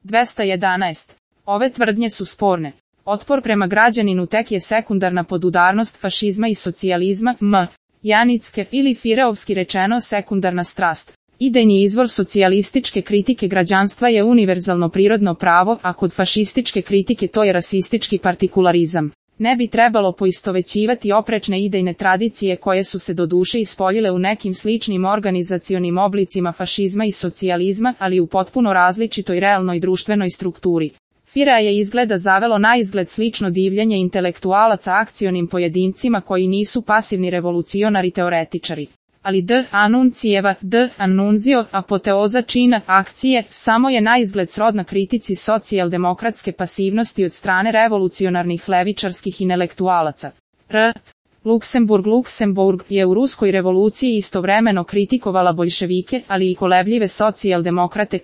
211. Ove tvrdnje su sporne. Otpor prema građaninu tek je sekundarna podudarnost fašizma i socijalizma, Janicke ili fireovski rečeno sekundarna strast. Idejni izvor socijalističke kritike građanstva je univerzalno prirodno pravo, a kod fašističke kritike to je rasistički partikularizam. Ne bi trebalo poistovećivati oprečne idejne tradicije koje su se doduše ispoljile u nekim sličnim organizacionim oblicima fašizma i socijalizma, ali u potpuno različitoj realnoj društvenoj strukturi. FIRA je izgleda zavelo na izgled slično divljenje intelektualaca akcionim pojedincima koji nisu pasivni revolucionari teoretičari. Ali Annunzio, apoteoza čina, akcije, samo je na izgled srodna kritici socijaldemokratske pasivnosti od strane revolucionarnih levičarskih intelektualaca. Luksemburg je u ruskoj revoluciji istovremeno kritikovala boljševike, ali i kolebljive socijaldemokrate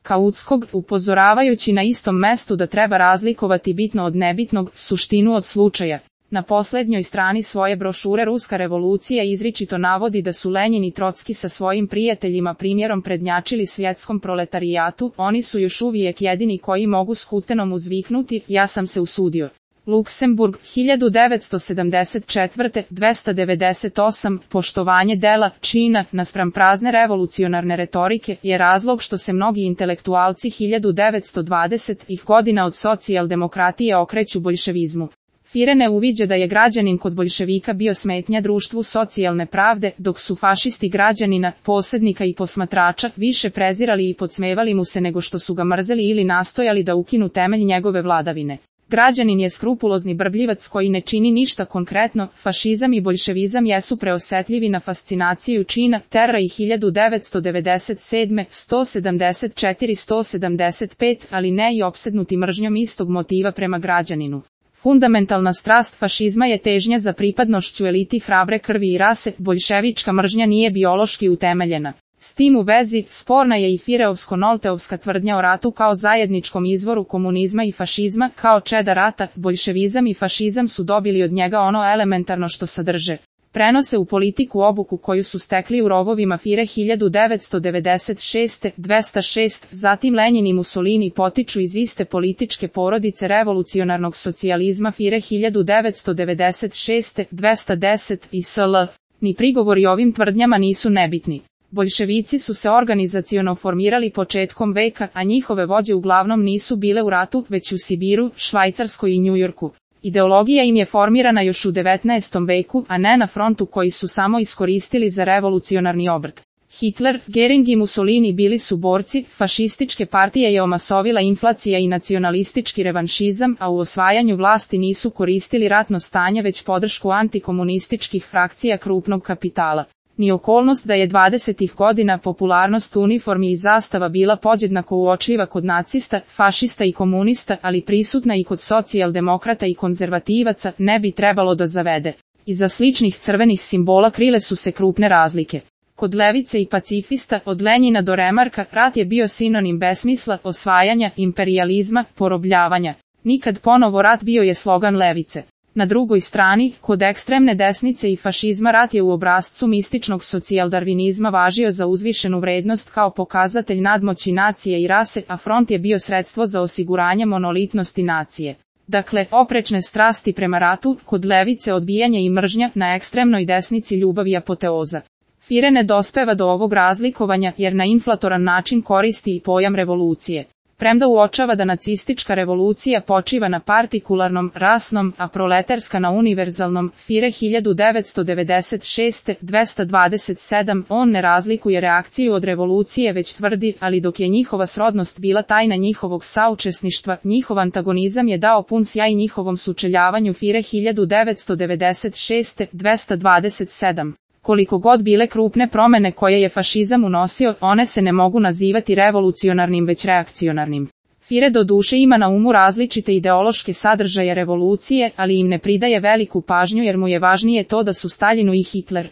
Kautskog, upozoravajući na istom mestu da treba razlikovati bitno od nebitnog, suštinu od slučaja. Na posljednjoj strani svoje brošure Ruska revolucija izričito navodi da su Lenjin i Trotski sa svojim prijateljima primjerom prednjačili svjetskom proletarijatu, oni su još uvijek jedini koji mogu s Hutenom uzviknuti, ja sam se usudio. Luksemburg, 1974. 298. Poštovanje dela, čina, naspram prazne revolucionarne retorike, je razlog što se mnogi intelektualci 1920-ih godina od socijaldemokratije okreću boljševizmu. FIRA ne uviđa da je građanin kod boljševika bio smetnja društvu socijalne pravde, dok su fašisti građanina, posrednika i posmatrača, više prezirali i podsmevali mu se nego što su ga mrzeli ili nastojali da ukinu temelj njegove vladavine. Građanin je skrupulozni brbljivac koji ne čini ništa konkretno, fašizam i boljševizam jesu preosetljivi na fascinaciju čina, terra i 1997. 174-175, ali ne i opsednuti mržnjom istog motiva prema građaninu. Fundamentalna strast fašizma je težnja za pripadnošću eliti hrabre krvi i rase, boljševička mržnja nije biološki utemeljena. S tim u vezi, sporna je i fireovsko-nolteovska tvrdnja o ratu kao zajedničkom izvoru komunizma i fašizma, kao čeda rata, boljševizam i fašizam su dobili od njega ono elementarno što sadrže. Prenose u politiku obuku koju su stekli u rovovima FIRE 1996. 206, zatim Lenjin i Mussolini potiču iz iste političke porodice revolucionarnog socijalizma FIRE 1996. 210 i SL. Ni prigovori ovim tvrdnjama nisu nebitni. Boljševici su se organizaciono formirali početkom veka, a njihove vođe uglavnom nisu bile u ratu, već u Sibiru, Švajcarskoj i Njujorku. Ideologija im je formirana još u 19. veku, a ne na frontu koji su samo iskoristili za revolucionarni obrt. Hitler, Göring i Mussolini bili su borci, fašističke partije je omasovila inflacija i nacionalistički revanšizam, a u osvajanju vlasti nisu koristili ratno stanje već podršku antikomunističkih frakcija krupnog kapitala. Ni okolnost da je 20. godina popularnost uniformi i zastava bila podjednako uočljiva kod nacista, fašista i komunista, ali prisutna i kod socijaldemokrata i konzervativaca, ne bi trebalo da zavede. Iza sličnih crvenih simbola krile su se krupne razlike. Kod levice i pacifista, od Lenjina do Remarka, rat je bio sinonim besmisla, osvajanja, imperijalizma, porobljavanja. Nikad ponovo rat bio je slogan levice. Na drugoj strani, kod ekstremne desnice i fašizma rat je u obrascu mističnog socijaldarvinizma važio za uzvišenu vrednost kao pokazatelj nadmoći nacije i rase, a front je bio sredstvo za osiguranje monolitnosti nacije. Dakle, oprečne strasti prema ratu, kod levice odbijanje i mržnja, na ekstremnoj desnici ljubav i apoteoza. FIRE ne dospeva do ovog razlikovanja jer na inflatoran način koristi i pojam revolucije. Premda uočava da nacistička revolucija počiva na partikularnom, rasnom, a proletarska na univerzalnom, FIRE 1996. 227, on ne razlikuje reakciju od revolucije već tvrdi, ali dok je njihova srodnost bila tajna njihovog saučesništva, njihov antagonizam je dao pun sjaj njihovom sučeljavanju FIRE 1996. 227. Koliko god bile krupne promjene koje je fašizam unosio, one se ne mogu nazivati revolucionarnim već reakcionarnim. FIRE doduše ima na umu različite ideološke sadržaje revolucije, ali im ne pridaje veliku pažnju jer mu je važnije to da su Staljinu i Hitler